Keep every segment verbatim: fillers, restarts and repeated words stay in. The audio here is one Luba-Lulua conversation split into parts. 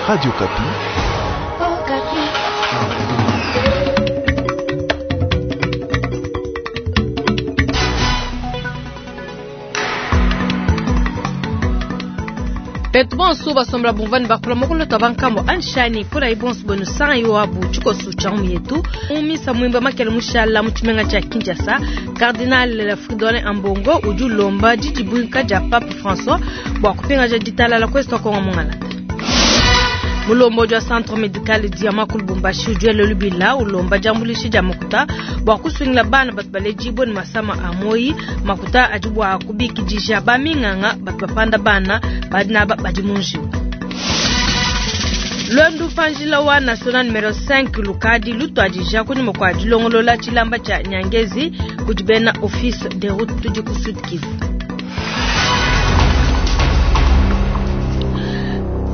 Radio Okapi. Betu bonso basombola bumvani bakula mokolo twa bankambo anshani pula ibonso bwenu sanga yoabu tshikosu tsha mu yetu mumisa mwimba makele mushala mu tshimenga tsha Kinshasa. Cardinal Fridolin Ambongo udi ulomba didibwinka dia Pape François bua kupingaja ditalala kwesi Kongo mungalata. Mulombo wa centre medical dia ku Lubumbashi udi lubila ulomba diambuluisha dia makuta bua kusungila bana batu baledibue ne masama a moyi. Makuta adi bua kubikidisha baminganga batu bapanda bana badi naba badi mu njiwu. Lwendu panjila wa national numero cinq lukadi lutwadija kunyima kua dilongolola tshilamba tshia Nyangezi kudi bena office de route tudi ku Sud Kivu.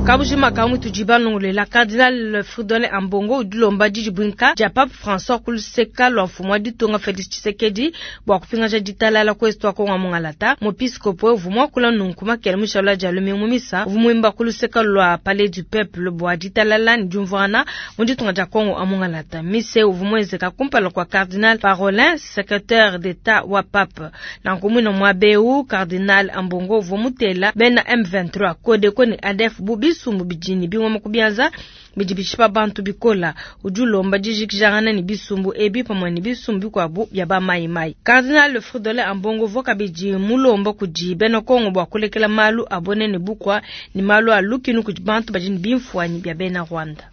Kabujima kamwe tujiba nongolela Cardinal Fridolin Ambongo udilomba didibwinka dia Pape François kuluseka lwa mfumu wa ditunga Felix Tshisekedi bua kupingaja ditalala kwesi twa Kongo mungalata. Muepiskopo uvua kula nunku makele mushala dia lumingu misa uvua muimba kuluseka lwa Palais du Peuple bua ditalala ne diumvuana mu ditunga dia Kongo amungalata. Mise uvua muenzeka kumpala kua Cardinal Parolin, secrétaire d'État wa Pape. Nanku mwina mwabeu Cardinal Ambongo uvua mutela bena M vingt-trois Codeco ne A D F bu bisumbu bijini bingoma kubianza bidi bishipa bantu bikola. Udi ulomba dijikijangana ne bisumbu ebi pamue ne bisumbu bikuabu bia ba mai mai. Cardinal Fridolin Ambongo uvua kabidi mulomba kudi bena Kongo bua kulekela malu abone ne bukwa ne malu a lukinu kudi bantu badi ne bimfuanyi bia bena Rwanda.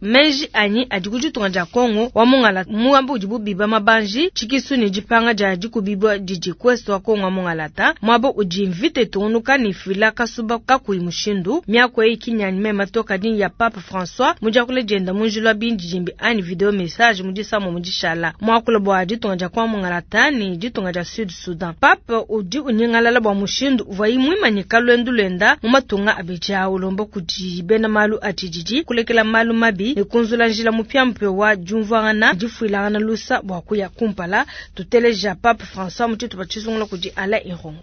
Meji anyi adi ku ditunga dia Kongo wa mungala muambu udi bubiba mabanji tshikisu ne dipanga dia dikubibwa didi kwesi wa Kongo wa mungalata mwabo udi mvite tungunuka ne fila kasuba kakuyi mushindu miako eyi kinyanyi mema toka dini ya Pape François mudiakule dienda munjila wa bindidimbi anyi video message mudisamo mudishala mwakula bua ditunga dia Kongo mungalata ne ditunga dia Sud Sudan. Pape udi unyingalala bua mushindu uvuayi muimanyika lwendu lwenda mu matunga abidi awu ulomba kudi bena malu atshididi kulekela malu mabi kunzula njila mupyampya wa diumvuangana difuilangana lusa bua kuya kumpala. Tuteleja Pape François mutshitu pa tshisungula kudi Alain Irongo.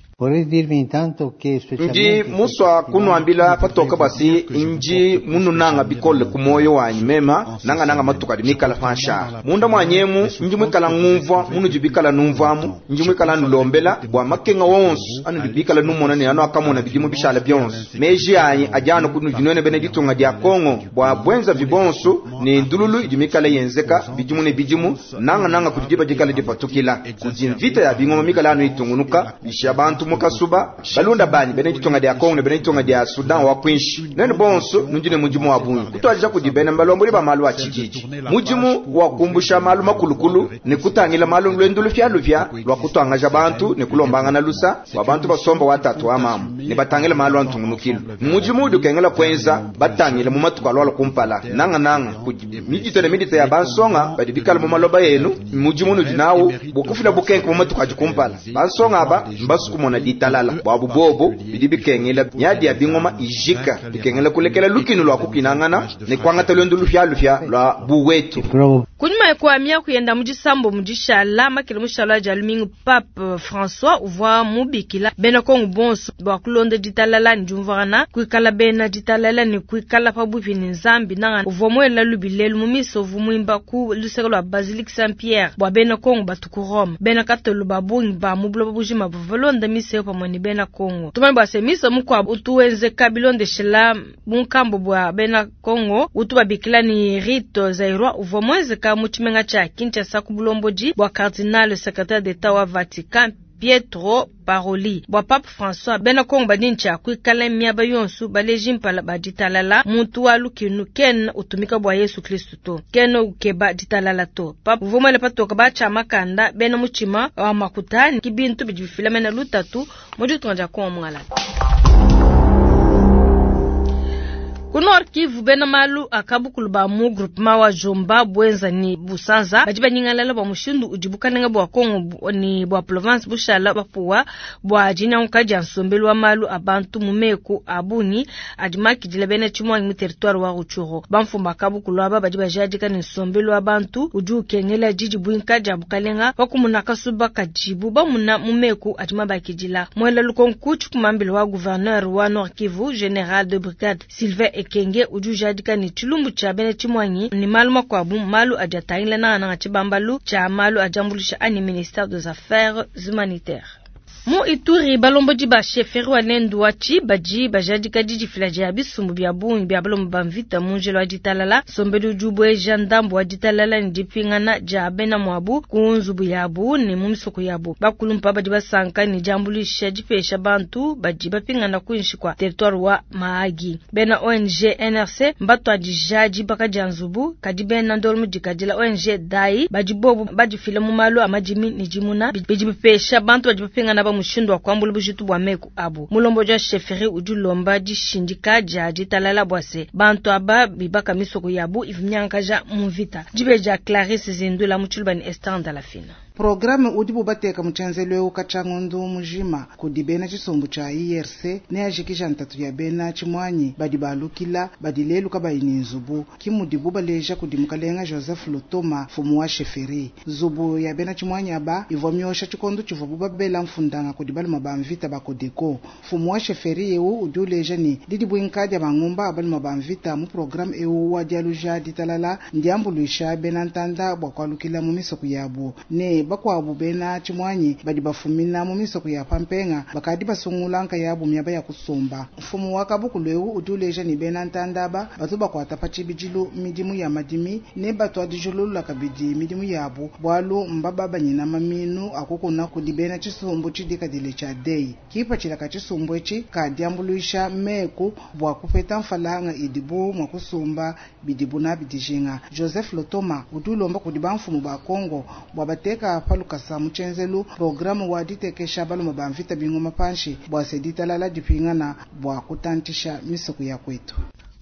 Ndi muswa kunuambila patoka basi nji mununanga bikole ku moyo wanyi mema nanga nanga matuka di mikala fansha munda mwanyemu nji mwikala ngumvwa munu bikala numvamu nji mwikala nulombela bua makenga wonso anu bikala numona ne anu akamona bidimu bishala byonso meji anyi ajano kunu dinone bene ditunga dia Kongo bua bwenza vibonso ne ndululu idi mikala yenzeka bidimu ne bidimu nanga nanga kudiba dikala dipatukila kudi mvita ya bingoma mikala anu itungunuka bisha bantu mukasuba balunda banyi bene ditunga dia Kongo ne bene ditunga dia Sudan wa kwinshi nene bonso nundine mudimu wa bungi kutwaja kudi bene mbalomboli ba malu a tshididi mudimu wa kumbusha malu makulukulu ne kutangila malu lwendu lufya lufya lwa kutwangaja bantu ne kulombangana lusa wa bantu basomba watatu wa mamu ne batangila malu antungunukilu mudimu udi ukengela kwenza batangila mu matuku alwala kumpala nanga nanga midito ne midito ya bansonga badi bikala mu maloba yenu mudimu nudi nawu bukufila bukenke mu matuku adi kumpala bansonga aba mbasukumona ditalala bwabu bobo bidi bikengela nyadi ya bingoma ijika bikengela kulekela lukinu lwa kupinangana ne kwangata lwendu lufya lufya lwa buwetu. Kunyuma kwa mia kuyenda mudisambo mudishala makele mushala dia lumingu Pape François uvua mubikila bena Kongo bonso bua kulonda ditalala ne diumvuangana kuikala bena ditalala ne kuikala pabuipi ne Nzambi nanga uvua muela lubilelu mu misa uvua muimba ku luseke lua Basilique Saint-Pierre bua bena Kongo batu ku Rome. Bena Katolo ba bungi ba mu buloba bujima bavua balonda misa eyo pamue ne bena Kongo. Tumanye bua se misa mukuabu utu wenzeka bilondeshela bunkambo bua bena Kongo utu babikila ni rite zairwa uvua muenzeka mu tshimenga tshia Kinshasa ku bulombodi bua Cardinal secrétaire d'État wa Vatican Pietro Paroli. Bua Pape François bena Kongo badi ntshia kuikala miaba yonso baleji mpala ba ditalala muntu wa lukinu ken utumika bua Yesu Kristu to ken ukeba ditalala to. Pape uvua muele patoka batshia makanda bena mutshima wa makuta ki bintu bidi bifila mena lutatu mu ditunga dia Kongo mungalata. Ku Nord Kivu bena malu akabukulu ba mu groupement wa Jomba bwenza ni Busanza badi banyingalala bua mushindu udi bukalenga bua Kongo ni bua province bushala bapuwa bua dinyanguka dia nsombelu wa malu a bantu mu meku a bungi adi makidila bena tshimwangi mu territoire wa Rutshuru. Bamfumu akabukulu aba badi bajadika ne nsombelu wa bantu udi ukengela didibwinka dia bukalenga wakumuna kasuba kadibu bamuna mu meku adi mabakidila. Mwela lukonku tshikumambila wa gouverneur wa Nord Kivu général de brigade Sylvain Ekenge Ekenge udi ujadika ne tshilumbu tshia bena tshimuangi ne malu makuabu malu adi atangila nangananga tshibambalu tshia malu a diambuluisha anyi ministère des affaires humanitaires. Mu Ituri balombodi ba chefferie wa Lendu wa Tshibadi bajadika didifila dia bisumbu bia bungi bia balomba ba mvita mu njila wa ditalala nsombelu udi ubueja ndambu wa ditalala ne dipingana dia bena muabu ku nzubu yabu ne mu misoko yabu. Bakulumpa badi basanka ne diambuluisha dipesha bantu badi bapingana kuinshi kwa territoire wa Mahagi. Bena O N G N R C mbatuadija dibaka dia nzubu kadi bena ndolo mudikadila O N G D A I badi bobu badifila mu malu a madimi ne dimuna bidi bipesha bantu badi bapingana ba mushindu wa kuambula bujitu bua meku abu. Mulombo wa chefferie udi ulomba dishindika dia ditalala bua se bantu aba bibaka misoko yabu ivunyankaja mu mvita. Dibeja Clarisse Zindula mu Tshiluba ne Esther Ndalafina. Programme udi bubateka mu tshienzelu eu katshia mujima kudi bena tshisumbu tshia I R C ne ajikija ntatu ya bena tshimuanyi badi balukila badi lelu kabayi ne nzubu ki mudibu baleja kudi mukalenga Joseph Lutoma mfumu wa chefferie. Nzubu ya bena tshimuanyi aba ivua miosha tshikondo tshivua babela mfundanga kudi baluma ba mvita ba Codeco. Mfumu wa chefferie eu udi uleja ne didi buinka dia bangumba abaluma ba mvita mu programme eu wa dialuja ditalala ndiambuluisha bena ntanda bua kualukila mu misoko yabu ne bakwabu bena tshimuanyi badi bafumina mu misoko ya pampenga bakadi basungula nkayabu miaba ya kusomba. Mfumu wa kabukulu eu udi uleja ne bena ntanda aba batu bakuata pa tshibidilu midimu ya madimi ne batuadijulula kabidi midimu yabu bualu mbababanyina maminu akukuna kudi bena tshisumbu tshidikadile tshia dei. Kipatshila ka tshisumbu etshi kadiambuluisha meku bua kupeta mfalanga idibu mua kusumba bidibu nabi dijinga. Joseph Lotoma udi ulomba kudi bamfumu ba Kongo bua bateka palukasa mu tshienzelu programme wa ditekesha baluma ba mvita bingoma panshi bua se ditalala dipingana bua kutantisha misoko ya kwetu.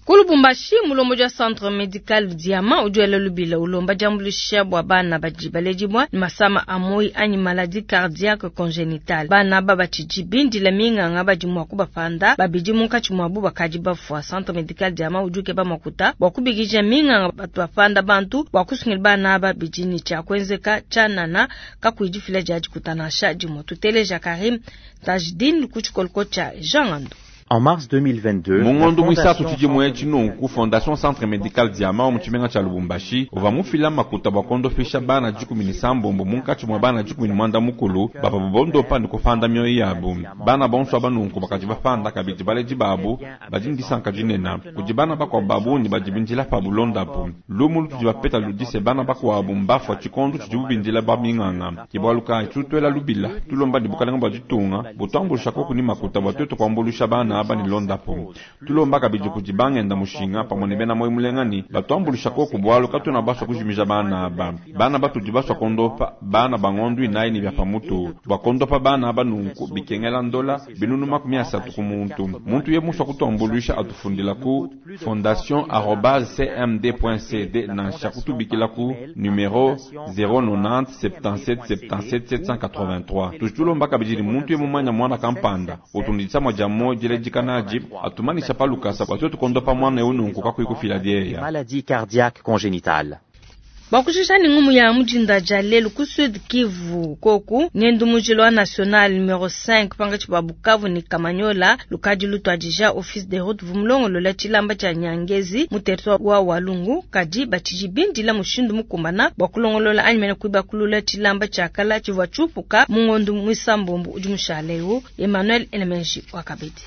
Ku Lubumbashi mulombo wa centre medical Diamant udi wela lubila ulomba diambuluisha bua bana badi baledibua ne masama a moyi anyi maladie cardiaque congénitale. Bana aba batshidi bindila minganga badi mua kubapanda babidi munkatshi muabu bakadi bafua. Centre medical Diamant udi ukeba makuta bua kubikija minganga batu bapanda bantu bua kusungila bana aba bidi ne tshia kuenzeka tshianana kakuyi difila dia dikutanasha dimue. Tuteleja Karim Tajdin ku tshikoloko tshia Jean Ngando. En mars deux mille vingt-deux, Mungondo mwisatu tshidimwe tshinunku Fondation Centre Medical Diamant mu tshimenga tshia Lubumbashi uva mufila makuta bua kondofisha bana dikumi ne sambombo munkatshi mua bana dikumi ne mwanda mukulu bava bondopa ne kufanda mioyo yabu. Bana bonso aba nunku bakadi bafanda kabidi baledi babu badi ndisanka dinena kudi bana bakuabu babungi badi bindila pa bulondapu. Lumu lutudi bapeta ludise bana bakuabu mbafua tshikondo tshidibu bindila ba minganga kibualuka tutwela lubila tulomba ne bukalenga bua ditunga butuambulusha koku ni makuta bua tuetu kuambulusha bana aba ni londapo. Tulomba kabidi kudi bangenda mushinga pamwe ne bena moyo mulengani batuambulusha koku bwalu katuna baswa kujimija bana aba. Bana batudi baswa kondopa bana bangondu inayi ni bya pamutu bakondopa bana aba nunku bikengela ndola binunu makumi asatu ku muntu. Muntu ye muswa kutuambulusha atufundila ku fondation arobase c m d point c d nansha kutubikila ku numero zéro nonante soixante-dix-sept soixante-dix-sept sept cent quatre-vingt-trois. Tutulomba kabidi ni muntu ye mumanya mwana kampanda utunditsa mwaja moja lejikanaji atumanisha palukasa watoto kondopa mwana ununku kakuyi kufila dieya. Maladie cardiaque congénitale. Bakushishani ngumu ya mujinda jalelu ku Sud Kivu koku ngendu mujilo wa national numero cinq panga chiba Bukavu ni Kamanyola lukadi lutwadija office des routes vumulongo lola chilamba cha Nyangezi mu territoire wa Walungu kadi bachiji bindila mushindu mukumbana bakulongolola anyimene kuiba kulula chilamba cha kala chivwa chupuka mungondu mwisambombo udi mushaleu Emmanuel Elemenji wakabedi.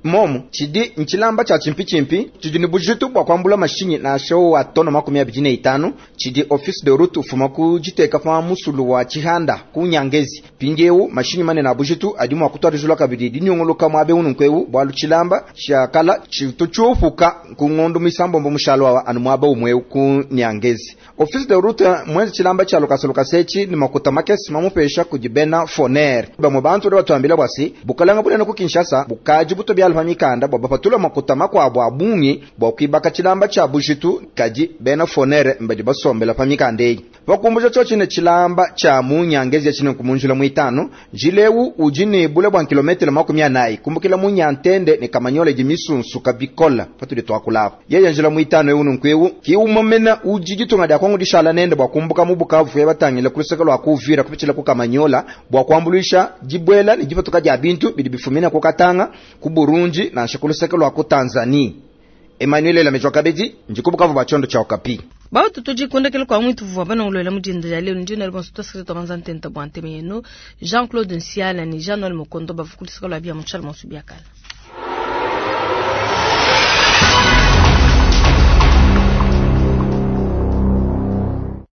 Momu chidi nchilamba cha chimpi chimpi chidi ni bujitu bwa kwambula mashinyi na show wa tono makumi abiri na itanu chidi office de route ufuma kujiteka pa musulu wa Chihanda ku Nyangezi pindiewu mashinyi mane na bujitu adi mwa kutwarizula kabidi dinyongoloka mwabe ununkwewu bwalu chilamba chakala chituchufuka ku ngondo misambombo mushalo wa anu mwaba umwewu ku Nyangezi. Office de route mwenzi chilamba cha lokasa lokasechi ni makuta makesi mamupesha kujibena foner bamwe bantu batwambila bwasi bukalanga bunene ku Kinshasa bukaji buto bya mikanda bwa bapatula makuta makwabo abungi bwa kwibaka chilamba cha bujitu kaji bena fonere mbadi basombela pa mikanda eyi bakumbuja cho chine chilamba cha munyangezi chine kumunjula mwitano jilewu ujini bule bwa kilometero makumi anayi kumbukila munyantende ni Kamanyola jimisunsu kabikola patuli twakulapa yeye njila mwitano ewu nunkwewu kiumomena ujijitunga dya kwangu dishala nende bwa kumbuka mu Bukavu yabatangila kuluseka lwa kuvira kupichila ku Kamanyola bwa kuambulisha jibwela ni jipatuka dya bintu bidi bifumina ku Katanga ku Burundi na nshakuluseka lwa ku Tanzania. Emmanuel Lamejwa Kabedi ndikubukavu ba chondo cha Okapi. Bautu tudi kwa mwitu vuvua banongolola mudinda dia lelo ndina bonso twasakile twabanza ntenta bua nteme yenu Jean-Claude Nsiala ni Jean-Noël Mokondo bavukulisaka lwa bia mutshala monso biakala.